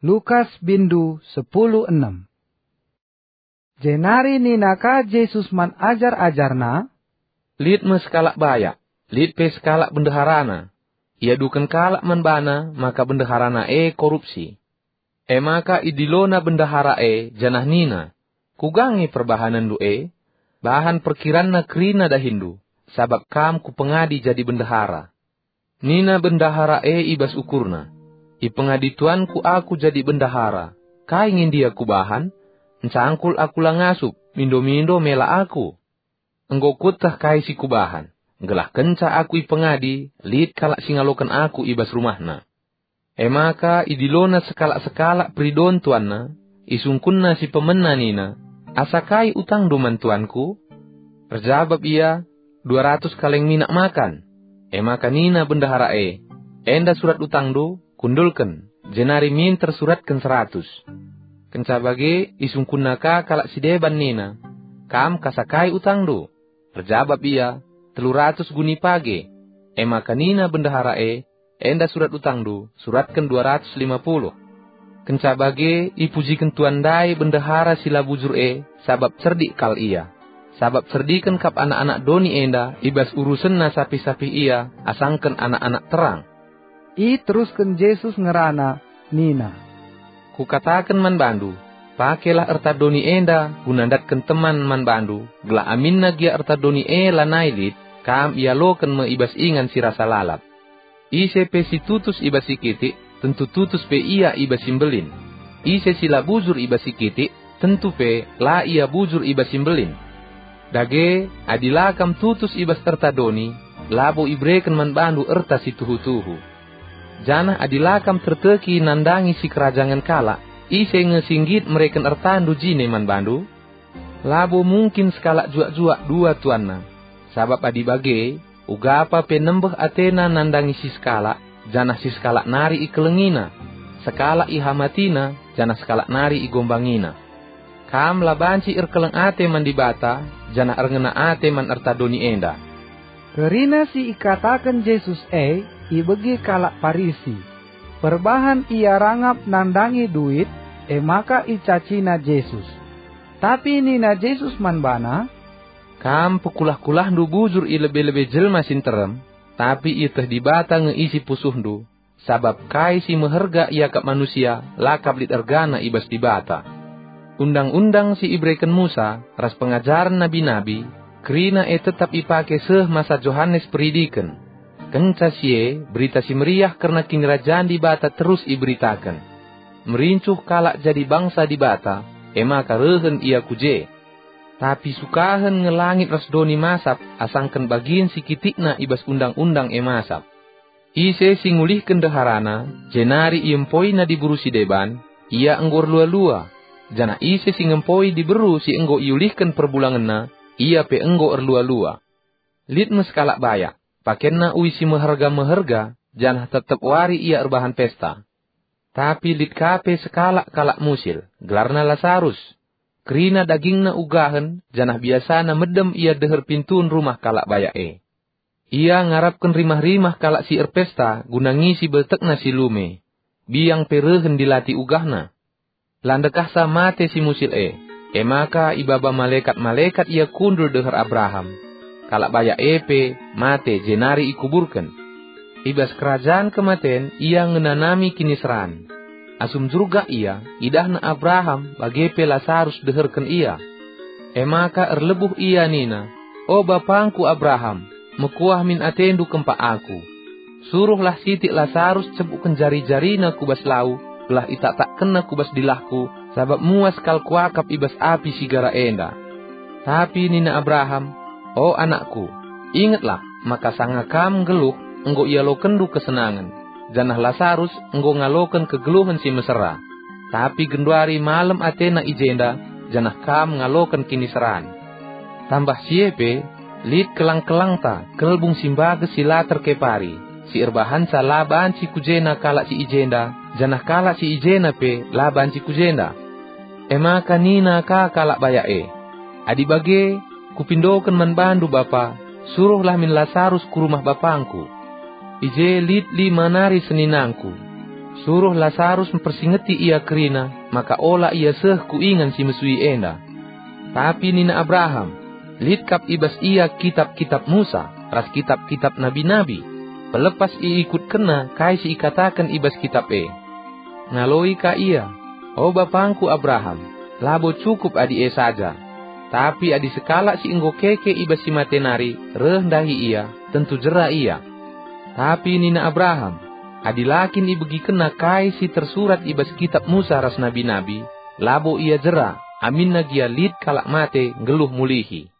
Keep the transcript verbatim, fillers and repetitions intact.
Lukas bindu sepuluh enem. Jenari nina ka Jesus man ajar-ajarNa, "Lit me sekalak bayak, lit pe sekalak bendeharana. Iaduken kalak man bana maka bendeharana e korupsi. E maka idilona bendahara e janah nina, 'Kuga nge perbahanenndu e? Bahan perkiranna kerina dahinndu, sabap kam kupengadi jadi bendahara.' Nina bendahara e i bas ukurna, 'Ipengadi tuanku aku jadi bendahara. Kai nge ndia kubahan? Ncangkul aku la ngasup, mindo-mindo mela aku. Enggo kueteh kai si kubahan, gelah kenca aku ipengadi, lit kalak si ngaloken aku i bas rumahna.' E maka idilona sekalak-sekalak peridon tuanna, isungkunna si pemena nina, 'Asa kai utangndu man tuanku?' Erjabap ia, 'Dua ratus kaleng minak makan.' E maka nina bendahara e, 'Enda surat utangndu, kundulken, jenari minter suratken seratus.' Kenca bage isungkunna ka kalak si deban nina, 'Kam kasa kai utangndu?' Erjabap ia, 'Telu ratus guni page.' E maka nina bendahara e, 'Enda surat utangndu, suratken dua ratus lima puluh.' Kenca bage ipujiken tuan ndai bendahara si la bujur e, sabap cerdik kal ia. Sabap cerdiken kap anak-anak doni enda i bas urusenna sapih-sapih ia asangken anak-anak terang." Iterusken Jesus ngerana nina, "Kukataken man bandu, pakelah erta doni enda guna ndatken teman man bandu, gelah aminna gia erta doni e lanai lit, kam ialoken me i bas ingan si rasa lalap. Ise pe si tutus i bas si kitik, tentu tutus pe ia i bas si mbelin. Ise si la bujur i bas si kitik, tentu pe la ia bujur i bas si mbelin. Dage, adi la kam tutus i bas erta doni, labo ibereken man bandu erta si tuhu-tuhu. Janah adi la kam terteki nandangi sikerajangen kalak, ise nge si nggit mereken ertandu jine man bandu? Labo mungkin sekalak juak-juak dua tuanna. Sabap adi bage, ugapa pe nembeh atena nandangi si sekalak, janah si sekalak nari ikelengina. Sekalak ihamatina, janah sekalak nari igombangina. Kam la banci erkeleng ate man Dibata, janah erngena ate man erta doni enda." Kerina si ikataken Jesus e ibegi kalak Parisi. Perbahan ia rangap nandangi duit, e maka icacina Jesus. Tapi nina Jesus man bana, "Kam pekulah-kulahndu bujur i lebe-lebe jelma si nterem, tapi ieteh Dibata nge isi pusuhndu, sabap kai si meherga iakap manusia la kap lit ergana i bas Dibata. Undang-undang si ibereken Musa ras pengajaren nabi-nabi, kerina e tetap ipake seh masa Johanes Peridiken. Kenca si e, Berita Si Meriah kerna Kinirajan Dibata terus iberitaken. Merincuh kalak jadi bangsa Dibata, e maka rehen ia ku je. Tapi sukahen nge langit ras doni masap asangken bagin si kitikna i bas undang-undang e masap. Ise si ngulihken ndeharana, jenari iempoina diberu si deban, ia enggo erlua-lua, janah ise si ngempoi diberu si enggo iulihken perbulangenna, ia pe enggo erlua-lua. Lit me sekalak bayak, pakenna uis si meherga-meherga, janah tep-tep wari ia erbahan pesta. Tapi lit ka pe sekalak kalak musil, gelarna Lasarus. Kerina dagingna ugahen, janah biasana medem ia deher pintun rumah kalak bayak e. Ia ngarapken rimah-rimah kalak si erpesta guna ngisi beltekna si lume. Biang pe rehen dilati ugahna. La ndekahsa mate si musil e, e maka ibaba malekat-malekat ia kundul deher Abraham. Kalak bayak e pe mate jenari ikuburken. I bas kerajan kematen ia ngenanami kiniseran. Asum njurgak ia, idahna Abraham bage pe Lasarus deherken ia. E maka erlebuh ia nina, 'O bapangku Abraham, mekuah min atendu kempak aku. Suruhlah sitik Lasarus cebukken jari-jarina ku bas lau, gelah itaktakkenna ku bas dilahku, sabap muas kal kuakap i bas api si gara enda. Tapi nina Abraham, O anakku, ingetlah maka sanga kam nggeluh enggo ialokenndu kesenangen, janah Lasarus enggo ngaloken kegeluhen si mesera. Tapi genduari malem atena i jenda, janah kam ngaloken kiniseran. Tambah si e pe, lit kelang-kelangta, kelbung si mbages si la terkepari, si erbahanca la banci ku jena kalak si i jenda, janah kalak si i jena pe la banci ku jenda.' E maka nina ka kalak bayak e, 'Adi bage, kupindoken man bandu bapa, suruhlah min Lasarus ku rumah bapangku. I je lit lima nari seninangku. Suruh Lasarus mpersingeti ia kerina, maka ola ia seh ku ingan si mesui enda." Tapi nina Abraham, "Lit kap i bas ia kitap-kitap Musa ras kitap-kitap nabi-nabi. Pelepas iikutkenna kai si ikataken i bas kitap e." Ngaloi ka ia, "O bapangku Abraham, labo cukup adi e saja. Tapi adi sekalak si enggo keke i bas si mate nari reh ndahi ia, tentu jera ia." Tapi nina Abraham, "Adi la kin ibegikenna kai si tersurat i bas kitap Musa ras nabi-nabi, labo ia jera, aminna gia lit kalak mate nggeluh mulihi."